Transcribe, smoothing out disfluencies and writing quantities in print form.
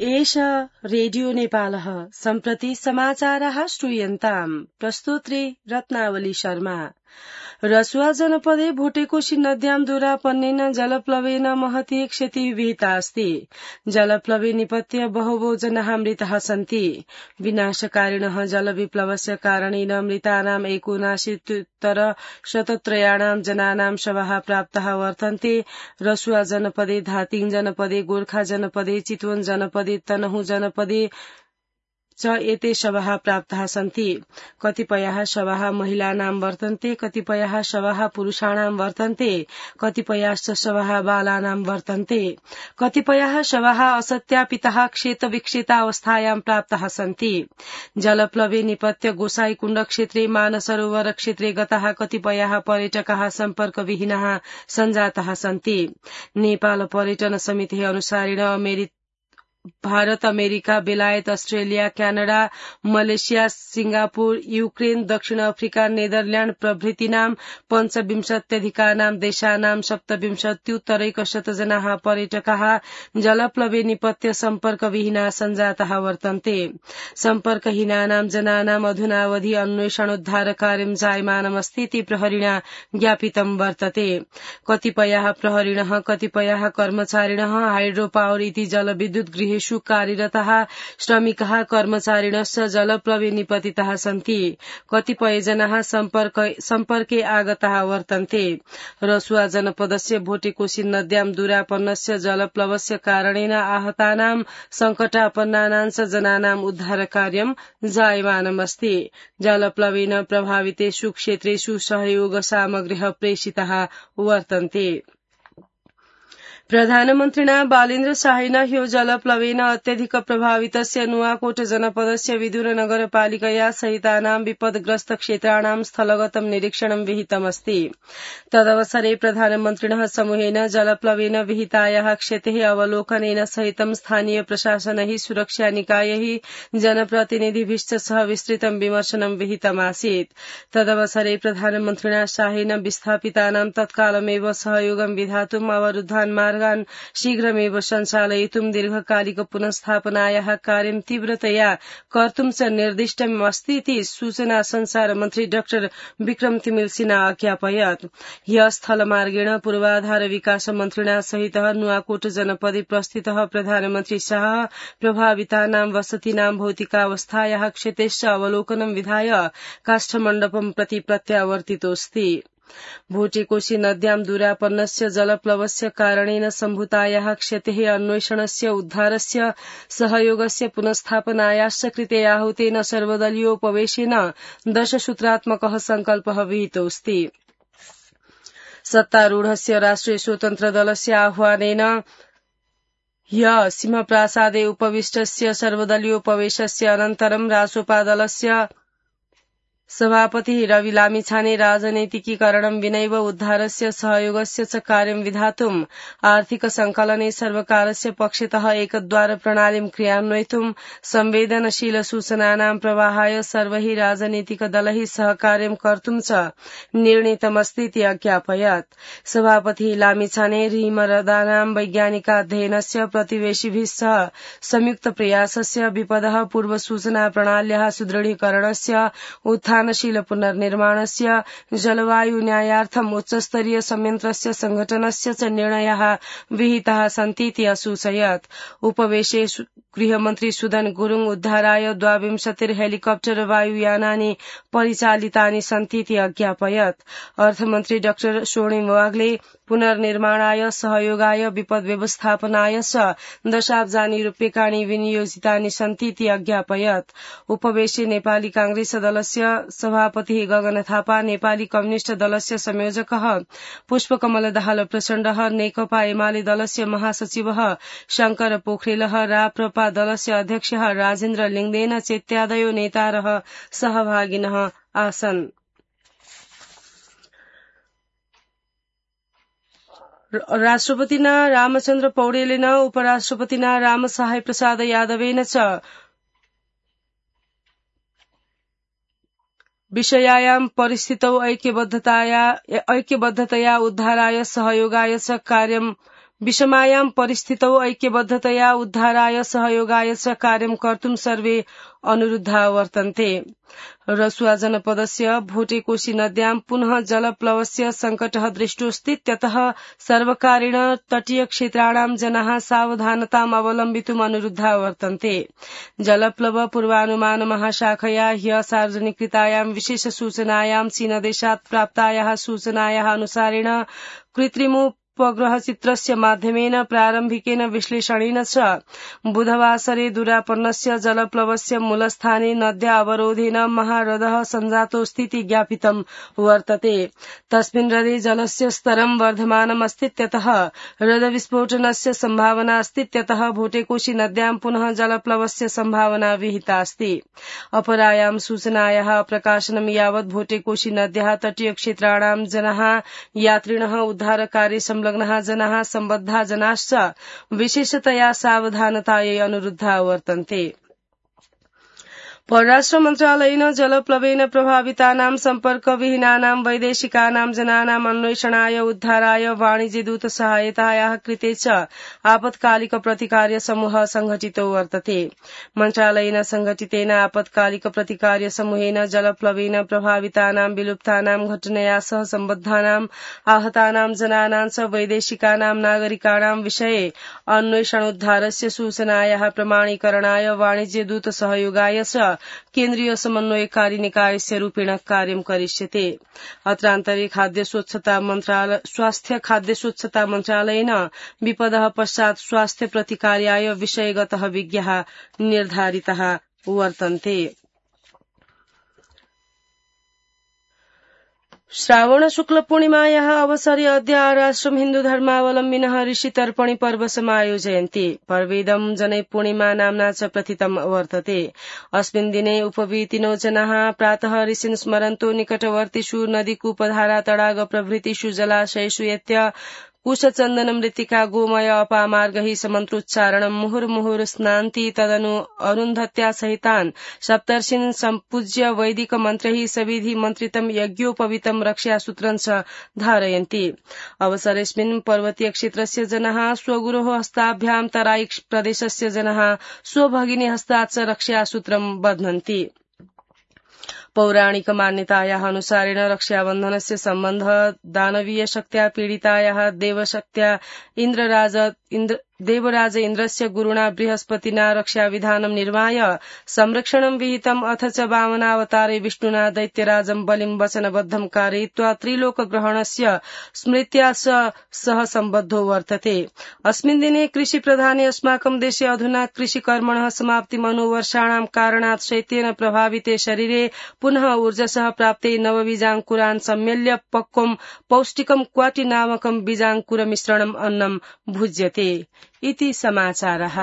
एष रेडियो नेपालः सम्प्रति समाचारः श्रूयन्ताम् प्रस्तोत्री रत्नावली शर्मा। रसुवा जनपदे भोटेकोशी नद्यां दूरापन्नेन जलप्लवेन महती क्षति विहिता अस्ति। जलप्लवे निपत्य बहवो जनाः मृताः सन्ति। विनाशकारिणः जलविप्लवस्य कारणेन मृतानाम् 79,000 जनानां शवाः प्राप्ताः वर्तन्ते। रसुवा जनपदे, धादिङ जनपदे, गोर्खा जनपदे, चितवन जनपदे, तनहुँ जनपदे च एते शवाः प्राप्ताः सन्ति। कतिपयाः शवाः महिलानां वर्तन्ते, कतिपयाः शवाः पुरुषाणां वर्तन्ते, कतिपयाश्च शवाः बालानां वर्तन्ते, कतिपयाः शवाः असत्यापिताः क्षेतविक्षेतावस्थायां प्राप्ताः सन्ति। जलप्लवे निपत्य गोसाईकुण्ड क्षेत्रे, मानसरोवर क्षेत्रे गताः कतिपयाः पर्यटकाः सम्पर्कविहीनाः सञ्जाताः सन्ति। नेपाल पर्यटन समिति अनुसारेण भारत, अमेरिका, बेलायत, Australia, Canada, Malaysia, Singapore, Ukraine, दक्षिण अफ्रिका, नेदरल्याण्ड प्रभृतीनां 25,000 देशानां 27,000 जनाः पर्यटकाः जलप्लवे निपत्य सम्पर्कविहीना सञ्जाताः वर्तन्ते। सम्पर्कहीनानां जनानां अधुनावधि अन्वेषणोद्धार कार्यं जायमानमस्ति इति प्रहरिणा ज्ञापितं वर्तते। कतिपयाः प्रहरिणः, कतिपयाः कर्मचारिणः हाइड्रो पावर इति जलविद्युत गृहेषु कार्यरताः श्रमिकाः कर्मचारिणश्च जलप्लवे निपतिताः सन्ति। कतिपय जनाः सम्पर्के आगताः वर्तन्ते। रसुवा जनपदस्य भोटेकोशी नद्यां दूरापन्नस्य जलप्लवस्य कारणेन आहतानां संकटापन्नानां च जनानां उद्धार कार्यं जायमानमस्ति। जलप्लवेन प्रभावितेषु क्षेत्रेषु सहयोग सामग्र्यः प्रेषिताः वर्तन्ते। प्रधानमन्त्रिणा बालेन्द्र शाहेन ह्यो जलप्लवेन अत्यधिक प्रभावितस्य नुवाकोट जनपदस्य विदुर नगरपालिकया सहितानां विपदग्रस्त क्षेत्राणां स्थलगतं निरीक्षणं विहितमस्ति। तदवसरे प्रधानमन्त्रिणः समूहेन जलप्लवेन विहितायाः क्षतेः अवलोकनेन सहितं स्थानीय प्रशासनैः, सुरक्षा निकायैः, जनप्रतिनिधिभिश्च सह विस्तृतं विमर्शनं विहितमासीत्। तदवसरे प्रधानमन्त्रिणा शाहेन विस्थापितानां तत्कालमेव सहयोगं विधातुम् अवरुद्धान् मार्गान् शीघ्रमेव सञ्चालयितुं दीर्घकालिक पुनस्थापनायाः कार्यं तीव्रतया कर्तुं च निर्दिष्टमस्ति इति सूचना संचार मन्त्री डाक्टर विक्रम तिमिल सिन्हा अज्ञापयत्। ह्यः स्थलमार्गेण पूर्वाधार विकास मन्त्रिणा सहितः नुवाकोट जनपदे प्रस्थितः प्रधानमन्त्री शाह प्रभावितानां वसतीनां भौतिकावस्थायाः क्षतेश्च अवलोकनं विधाय काष्ठमण्डपं प्रति प्रत्यावर्तितोऽस्ति। भोटेकोशी नद्यां दूरापन्नस्य जलप्लवस्य कारणेन सम्भूतायाः क्षतेः अन्वेषणस्य, उद्धारस्य, सहयोगस्य, पुनस्थापनायाश्च कृते आहूतेन सर्वदलीयोपवेशेन 10 सूत्रात्मकः सङ्कल्पः विहितोऽस्ति। सत्तारूढस्य राष्ट्रिय स्वतन्त्र दलस्य आह्वानेन ह्यः सिंहप्रासादे उपविष्टस्य सर्वदलीयोपवेशस्य अनन्तरं रासोपा दलस्य सभापति रवि लामिछाने राजनैतिकीकरणं विनैव उद्धारस्य, सहयोगस्य च कार्यं विधातुम् आर्थिक संकलने सर्वकारस्य पक्षतः एकद्वार प्रणालीं क्रियान्वयितुं संवेदनशील सूचनानां प्रवाहाय सर्वैः राजनीतिक दलैः सहकार्यं कर्तुं च निर्णीतमस्ति इति अज्ञापयत्। सभापति लामिछाने ऋमरदानां वैज्ञानिकाध्ययनस्य, प्रतिवेशिभिः सह संयुक्त प्रयासस्य, विपदः पूर्वसूचना प्रणाल्याः सुदृढीकरणस्य, उत्थानशील पुनर्निर्माणस्य, जलवायु न्यायार्थम् उच्चस्तरीय संयन्त्रस्य संघटनस्य च निर्णयाः विहिताः सन्ति इति असूचयत्। उपवेशे गृहमन्त्री सुदन गुरुङ उद्धाराय 22 हेलिकप्टर वायुयानानि परिचालितानि सन्ति इति अज्ञापयत्। अर्थमन्त्री डाक्टर स्वर्णिम वाग्ले पुनर्निर्माणाय, सहयोगाय, विपद व्यवस्थापनाय च 10 अब्जानि रूप्यकाणि विनियोजितानि सन्ति इति अज्ञापयत्। उपवेशे नेपाली कांग्रेस दलस्य सभापति गगन थापा, नेपाली कम्युनिष्ट दलस्य संयोजकः पुष्पकमल दाहाल प्रचण्डः, नेकपा एमाले दलस्य महासचिवः शंकर पोखरेलः, राप्रपा दलस्य अध्यक्षः राजेन्द्र लिङदेन चेत्यादयो नेतारः सहभागिनः आसन्। राष्ट्रपतिना रामचन्द्र पौडेलेन उपराष्ट्रपतिना रामसहाय प्रसाद यादवेन च विषयायां परिस्थितौ ऐक्यबद्धतया उद्धाराय सहयोगाय च कार्यं विषमायां परिस्थितौ ऐक्यबद्धतया उद्धाराय सहयोगाय च कार्यं कर्तुं सर्वे अनुरुद्धा वर्तन्ते। रसुआ जनपदस्य भोटेकोशी नद्यां पुनः जलप्लवस्य संकटः दृष्टोऽस्तीत्यतः सर्वकारेण तटीय क्षेत्राणां जनाः सावधानताम् अवलम्बितुम् अनुरुद्धा वर्तन्ते। जलप्लव पूर्वानुमान महाशाखया ह्य सार्वजनिकृतायां विशेष सूचनायां चीनदेशात् प्राप्तायाः सूचनायाः अनुसारेण कृत्रिमोपग्रहचित्रस्य माध्यमेन प्रारम्भिकेन विश्लेषणेन च बुधवासरे दुरापन्नस्य जलप्लवस्य मूलस्थाने नद्या अवरोधेन महाह्रदः सञ्जातोऽस्तीति ज्ञापितं वर्तते। तस्मिन् ह्रदे जलस्य स्तरं वर्धमानमस्तीत्यतः ह्रदविस्फोटनस्य सम्भावना अस्तीत्यतः भोटेकोशी नद्यां पुनः जलप्लवस्य सम्भावना विहितास्ति। अपरायां सूचनायाः प्रकाशनं यावत् भोटेकोशी नद्याः तटीय क्षेत्राणां जनाः यात्रिणः उद्धारकार्ये संलग्नाः जनाः सम्बद्धा जनाश्च विशेषतया सावधानतायै अनुरुद्धा वर्तन्ते। परराष्ट्र मन्त्रालयेन जलप्लवेन प्रभावितानां सम्पर्कविहीनानां वैदेशिकानां जनानाम् अन्वेषणाय उद्धाराय वाणिज्यदूत सहायतायाः कृते च आपत्कालिक प्रतिकार्य समूह संघटितो वर्तते। मन्त्रालयेन संघटितेन आपत्कालिक प्रतिकार्य समूहेन जलप्लवेन प्रभावितानां विलुप्तानां घटनया सह सम्बद्धानां आहतानां जनानां च वैदेशिकानां नागरिकाणां विषये अन्वेषणोद्धारस्य सूचनायाः प्रमाणीकरणाय वाणिज्यदूत सहयोगाय च केन्द्रीय समन्वयकारी निकायस्य रूपेण कार्यं करिष्यते। अत्रान्तरे स्वास्थ्य खाद्य स्वच्छता मन्त्रालयेन विपदः पश्चात् स्वास्थ्य प्रतिकार्याय विषयगतः विज्ञाः निर्धारिताः वर्तन्ते। श्रावण शुक्ल पूर्णिमायाः अवसरे अद्य आराष्ट्रं हिन्दू धर्मावलम्बिनः ऋषितर्पणि पर्व समायोजयन्ति। पर्वेदं जनै पूर्णिमा नाम्ना च प्रथितं वर्तते। अस्मिन् दिने उपवीतिनो जनाः प्रातः ऋषीन् स्मरन्तो निकटवर्तिषु नदीकूपधारा तडाग प्रभृतिषु जलाशयेषु यत्य कुशचन्दन मृत्तिका गोमय अपामार्गैः समन्त्रोच्चारणं मुहुर्मुहुर् स्नान्ति। तदनु अरुन्धत्या सहितान् सप्तर्षीन् सम्पूज्य वैदिक मन्त्रैः सविधि मन्त्रितं यज्ञोपवीतं रक्षासूत्रं च धारयन्ति। अवसरेऽस्मिन् पर्वतीय क्षेत्रस्य जनाः स्वगुरोः हस्ताभ्यां तराई प्रदेशस्य जनाः स्वभगिनी हस्तात् च रक्षासूत्रं बध्नन्ति। पौराणिक मान्यतायाः अनुसारेण रक्षाबन्धनस्य सम्बन्धः दानवीय शक्त्या पीडितायाः देवराज इन्द्रस्य गुरुणा बृहस्पतिना रक्षाविधानं निर्माय संरक्षणं विहितम् अथ च वामनावतारे विष्णुना दैत्यराजं बलिं वचनबद्धं कारयित्वा त्रिलोकग्रहणस्य स्मृत्या सह सम्बद्धो वर्तते। अस्मिन् दिने कृषिप्रधाने अस्माकं देशे अधुना कृषिकर्मणः समाप्तिमनुवर्षाणां कारणात् शैत्येन प्रभाविते शरीरे पुनः ऊर्जसः प्राप्ते नवबीजाङ्कुरान् सम्मेल्य पक्वं पौष्टिकं क्वाटि नामकं बीजाङ्कुरमिश्रणम् अन्नं भुज्यते इति समाचारः।